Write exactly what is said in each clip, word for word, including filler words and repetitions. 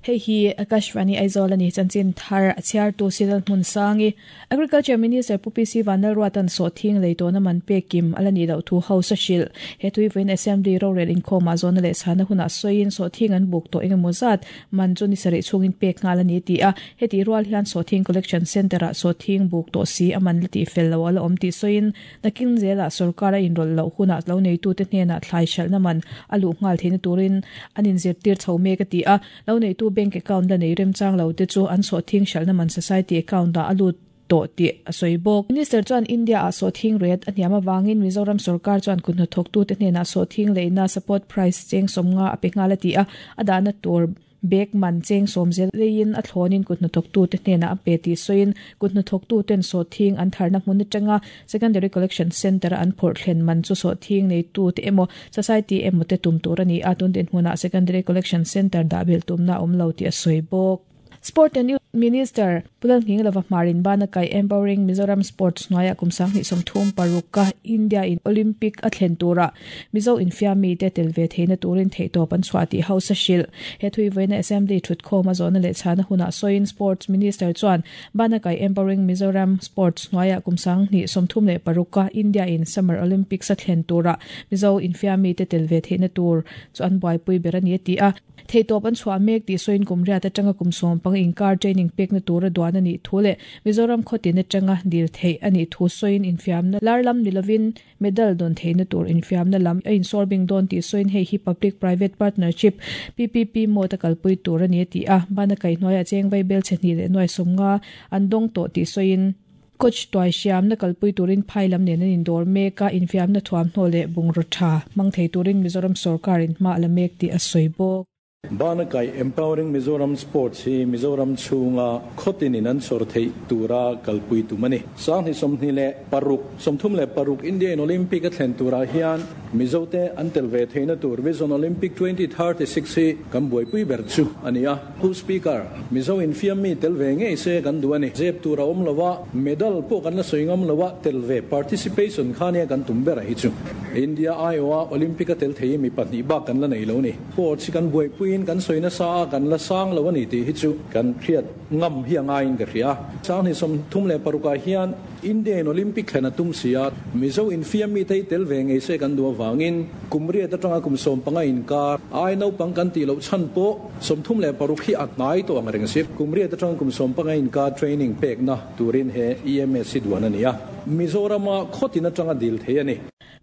Hei hi Akashvani Aizawl ani chanchin thar a chhiar tu Sidal Hmun Sangi. Agriculture Minister Pu P C Vanlalruatan sawhthing lei tawna man pek kim ala ni loh thu House a hrilh. He tui vawiin Assembly rorel inkhawmah zawhna leh chhana hunah sawiin sawhthing an buk tawh engemaw zat man chu ni sarih chhungin pek nghal a ni ti a. Heti rual hian sawhthing collection centre ah sawhthing buk tawh si a man la tih fel lo ala awm tih sawiin nakin zelah sorkar a inrawlh loh hunah lo neitute hnenah thlai hralhna man a luh nghal theihna turin an inzirtir chho mek a ti a. Lo neitu bank account la nei remchang lo te chu an sawhthing hralhna man society account ah a lut tawh tih a sawi bawk. Minister chuan India ah sawhthing rate a hniam avangin Mizoram sorkar chuan kuthnathawktute hnenah sawhthing leina support price cheng sawmnga a pe nghal a ti a. A dahna tur bag man cheng sawm zel leiin a thlawnin kuthnathawktute hnenah a pe tih sawiin kuthnathawktuten sawhthing an tharna hmun atanga secondary collection centre a an phawrh thlen man chu sawhthing neitute emaw society emaw te tum tur a ni a. Tun dinhmunah secondary collection centre dah belh tumna a awm lo tih a sawi bawk. Sport and Youth Minister Pu Lalnghinglova Hmarin bana kai Empowering Mizoram Sports hnuaiah kum sanghnih sawmthum paruk a India in Olympic a thlen turah Mizo infiammi te tel ve theihna turin theihtawp an chhuah tih House a hrilh. He thui vawiina Assembly thutkhawm a zawhna leh chhana hunah sawiin Sports Minister chuan bana kai Empowering Mizoram Sports hnuaiah kum sanghnih sawmthum leh paruk a India in Summer Olympics a thlen turah Mizo infiammi te tel ve theihna tur chu an buaipui ber a ni a ti a. Theihtawp an chhuah mek tih sawiin kum riat atanga kum sawm pang inkar training pekna tura duan a nih thu leh Mizoram khawtin atanga dil theih a nih thu sawiin infiamna lar lam ni lovin medal dawn theihna tur infiamna lam a insawrbing dawn tih sawiin hei hi Public Private Partnership P P P mode a kalpui tur a ni a ti a. Bana kaihhnuaiah cheng vai bel chhe hnih leh nuai sawmnga an dawng tawh tih sawiin coach tuai hriamna kalpui turin phai lam nen an indawr mek a, infiamna thuamhnaw leh bungraw tha hmang thei turin Mizoram sorkarin hma a la mek tih a sawi bawk. Bana kai Empowering Mizoram Sports hi Mizoram chhunga khawtinin an chhawr theih tura kalpui tum a ni. Sanghnih sawmhnih leh paruk, sawmthum leh paruk Indian Olympic a thlen turah hian Mizote an tel ve theihna tur Vision Olympic twenty thirty six hi kan buaipui ber chu a ni a. Pu Speaker, Mizo infiammi tel ve ngei se kan duh a ni. Zep tur a awm lo a, medal pawh kan la sawi ngam lo a, tel ve participation kha nia kan tum ber a hi chu. India aiawha Olympic a tel thei mi pahnih bak kan la nei lo ni. Sports hi kan buaipuiin kan sawi nasa a, kan la sang lo a ni tih hi chu kan hriat ngam hi a ngaiin ka hria. Sanghnih sawmthum leh parukah hian Indian Olympic thlen a tum si a, Mizo infiammi te hi tel ve ngei se kan duh avangin kum riat atanga kum sawm panga inkar ai naupang kan tih loh chhan pawh sawmthum leh paruk hi a hnai tawh ang reng si. Kum riat atanga kum sawm panga inkar training pekna turin he E M S hi duan a ni a. Mizorama khawtin atanga dil thei a ni.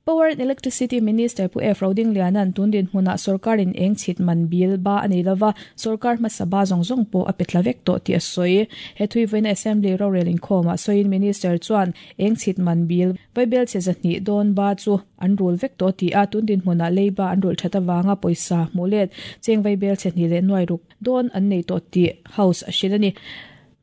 Power and Electricity Minister Pu F Rodinglianan tun dinhmunah sorkarin eng chhit man bil ba a nei lova, sorkar hmasa ba zawng zawng pawh a pe thla vek tawh tih a sawi. He thui vawiina Assembly rorel inkhawmah sawiin Minister chuan eng chhit man bil vaibel chhe zahnih dawn ba chu an rul vek tawh ti a. Tun dinhmunah leiba an rul that awanga pawisa hmuh let cheng vaibel chhe hnih leh nuai ruk dawn an nei tawh tih House a hrilh a ni.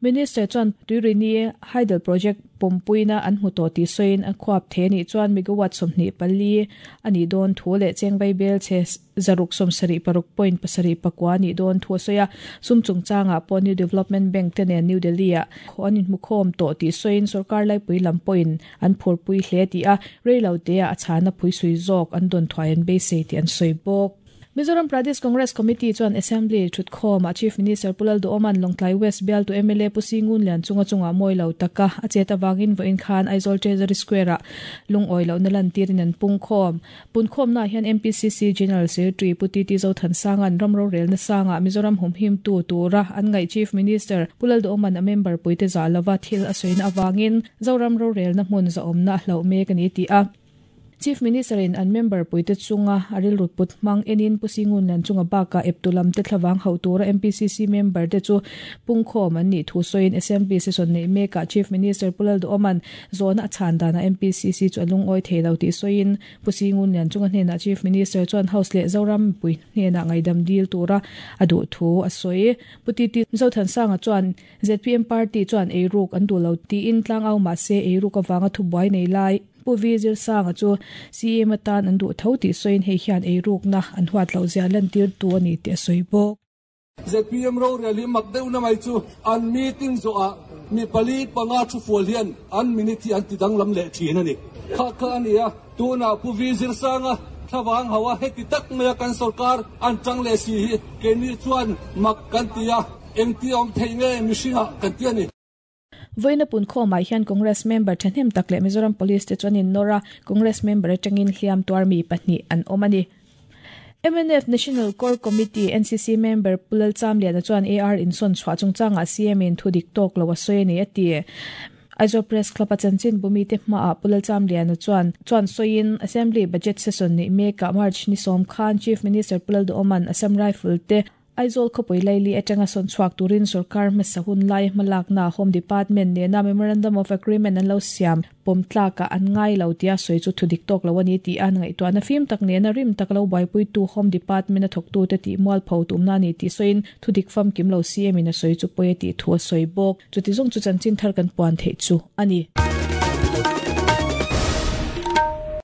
Minister chuan Tuirini Hydel Project pawmpuina an hmu tawh tih sawiin a khuap the anih chuan megawatt sawmhnih pali anih dawn thu leh cheng vaibel chhe zaruk sawmsarih paruk point pasarih pakua anih dawn thu a sawi a. Sum chungchangah pawh New Development Bank te nen New Delhi ah an inhmukhawm tawh tih sawiin sorkar laipui lam pawhin an phurpui hle ti a, reilo te ah a chhana phui sui zawk an dawn thuai an beisei tih an sawi bawk. Mizoram Pradesh Congress Committee chuan Assembly thutkhawm ah Chief Minister Pu Lalduhoma'n Lawngtlai West bialtu M L A Pu Singun Lian chunga chunga mawi lo taka a chet awangin vawiin khan Aizawl Treasury Square ah lungawi lohna lantirin an pungkhawm. Punkhawmna hian M P C C General Secretary Pu T T Zothansanga'n ram rorelna sanga Mizoram humhim tu tura an ngaih Chief Minister Pu Lalduhoma'n a member puite za lova thil a sawiina awangin Zoram rorelna hmun zaawmna a hlauh mek ani ti a. Chief Minister in an member puite chunga a rilru put hmang enin Pu Singun Lian chunga baka eptulam te thlawang ho tura M P C C member te chu pungkhawm an nih thu sawiin Assembly session nei mekah Chief Minister Pu Lalduhoma'n zawhna a chhan dana M P C C chu a lungawi thei lo tih sawiin Pu Singun Lian chunga hnenah Chief Minister chuan House leh Zoram pui hnenah ngaidam dil tura a duh thu a sawi. Pu T T Zothansanga chuan Z P M party chuan eiruk an duh lo tiin tlang au mah se eiruk awanga thubuai nei lai Pu V Zirsanga chu C M atan an duh tho tih sawiin hei hian eirukna an huat loh zia lantir tu ani tih a sawi bawk. Z P M ro rel hi mak deuh na mai chu an meeting zo a mi pali panga thu fual hian an minute hi an ti danglam leh thin ani. Kha kha ani a tuna Pu V Zirsanga Thawang hawa heti tak maya kan sarkar an tang le si hi ke ni chuan mak kan tia engti om thei nge mishinga kan tia ni. Voina pun kho mai hian Congress member thahnem tak le Mizoram Police te chuan in nora Congress member atangin hliam tuar mi pahnih an awm ani. M N F National Core Committee N C C member Pulal Chamliana chuan A R in son chhuah chungchanga C M in thudik tawk lo a sawi ani ati. Aizawl Press Club a chanchin bumi te hma a Pulal Chamliana chuan chuan soin Assembly budget session ni meka March ni som khan Chief Minister Pulal do Oman Assam Rifle te Aizawl khawpui laili atanga sawn chhuak turin sarkar hmasa hun lai hmalak na Home Department nena Memorandum of Agreement an lo siam pawm tlaka an ngai lo tia sawi chu thudik tawk lo ani ti an ngaihtuah na fim tak nena rim tak lo buaipui tu Home Department a thawk tu te ti mual pho tumna ni ti sawiin thudik fam kim lo C M in a sawi chu pawi ti thu a sawi bawk. Chuti zawng chu chanchin thar kan puan theih chu ani.